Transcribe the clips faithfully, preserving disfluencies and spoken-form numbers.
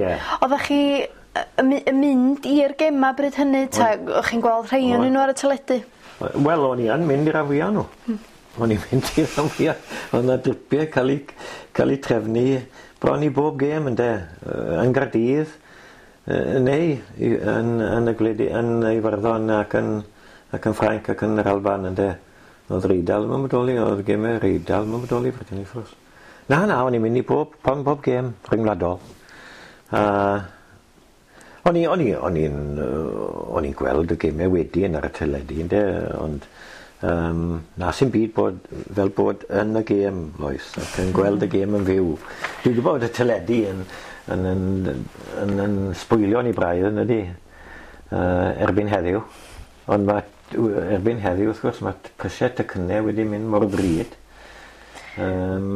Ie. Oddach chi yy yn my- yn mynd i'r gema bryd hynny 'ta o'ch chi'n gweld rhei o'nyn n'w ar y teledu? Wel o'n i yn mynd i'r rhan fwya o n'w. Hmm. O'n i'n mynd i'r rhan fwya. O'dd 'na dripie ca'l 'u ca'l 'u trefnu bron i bob gêm ynde? Yy yn Gardydd yy neu i yn yn y gwledi- yn Iwerddon ac yn ac yn Ffrainc ac yn yr Alban ynde? O'dd yr Eidal ddim yn bodoli o'dd geme'r Eidal ddim yn bodoli pryd hynny wrth gwrs. Na na o'n i'n mynd i bob bron bob gêm rhyngwladol. A o'n i o'n i o'n i'n yy o'n i'n gweld y geme wedyn ar y teledu ynde ond yym na sim byd bod fel bod yn y gêm Lois ac yn gweld y gêm yn fyw. Dwi'n gwbod y teledu yn yn yn yn yn sbwylio ni braidd yn ydi? Yy erbyn heddiw. Ond ma' erbyn heddiw wrth gwrs ma' prisie tocynne wedi mynd mor ddrud. Yym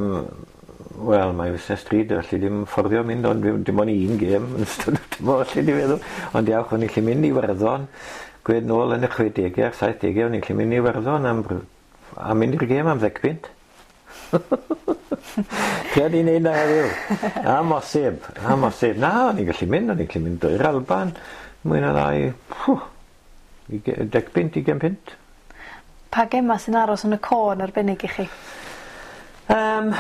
wel mae fusnes drud felly dim fforddio mynd ond dim dim ond un gêm yn ystod y tymor alli di feddwl. Ond diolch o'n i 'llu mynd i Iwerddon gwed nôl yn y chwedege a'r saithdege o'n i'n gallu mynd i Iwerddon am rw- a mynd i'r gêm am ddeg punt. Tria di neud 'na heddiw. Amosib, amosib. Na o'n i'n gallu mynd o'n i'n gallu mynd i'r Alban mwy na lai uge- deg punt ugen punt. Pa gema sy'n aros yn y co yn arbennig i chi? Yym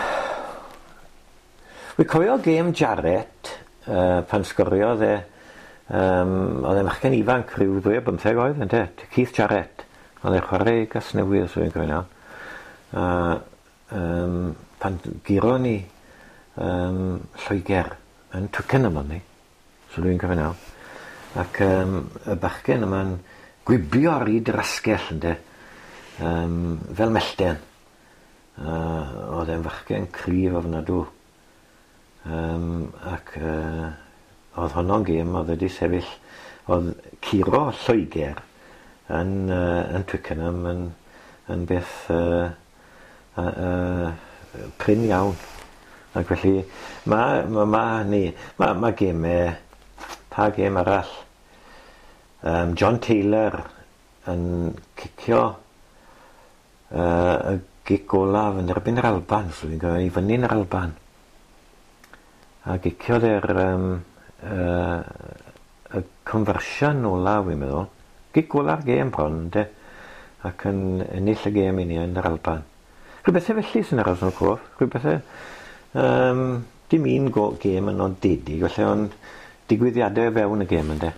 Wi cofio gêm Jarrett yy pan sgoriodd e yym o'dd e'n fachgen ifanc rhyw ddwy ar bymtheg oed ynde? Keith Jarrett. O'dd e'n chware i Gasnewydd os fi'n cofio'n iawn. A yym pan guro ni yym Lloeger yn Twickenham o'n ni. So dwi'n cofio'n iawn. Ac yym y bachgen yma'n gwibio ar 'yd yr asgell ynde? Yym fel mellten. A o'dd e'n fachgen cryf ofnadw. Yym ac yy o'dd honno'n gêm o'dd wedi sefyll o'dd curo Lloeger yn yy yn Twickenham yn yn beth yy yy yy prin iawn. Ac felly ma' ma' ma' hynny ma' ma' geme pa gêm arall? Yym John Taylor yn cicio yy y gic olaf yn erbyn yr Alban, os dwi'n cofio, i fyny yn yr Alban. A giciodd e'r yym yy y conversion olaf wi'n meddwl. Gic ola'r gêm bron ynde? Ac yn ennill y gêm i ni yn yr Alban. Rhywbethe felly sy'n aros yn y cof. Rhywbethe yym dim un go- gêm yn nodedig felly ond digwyddiade o fewn y gêm ynde?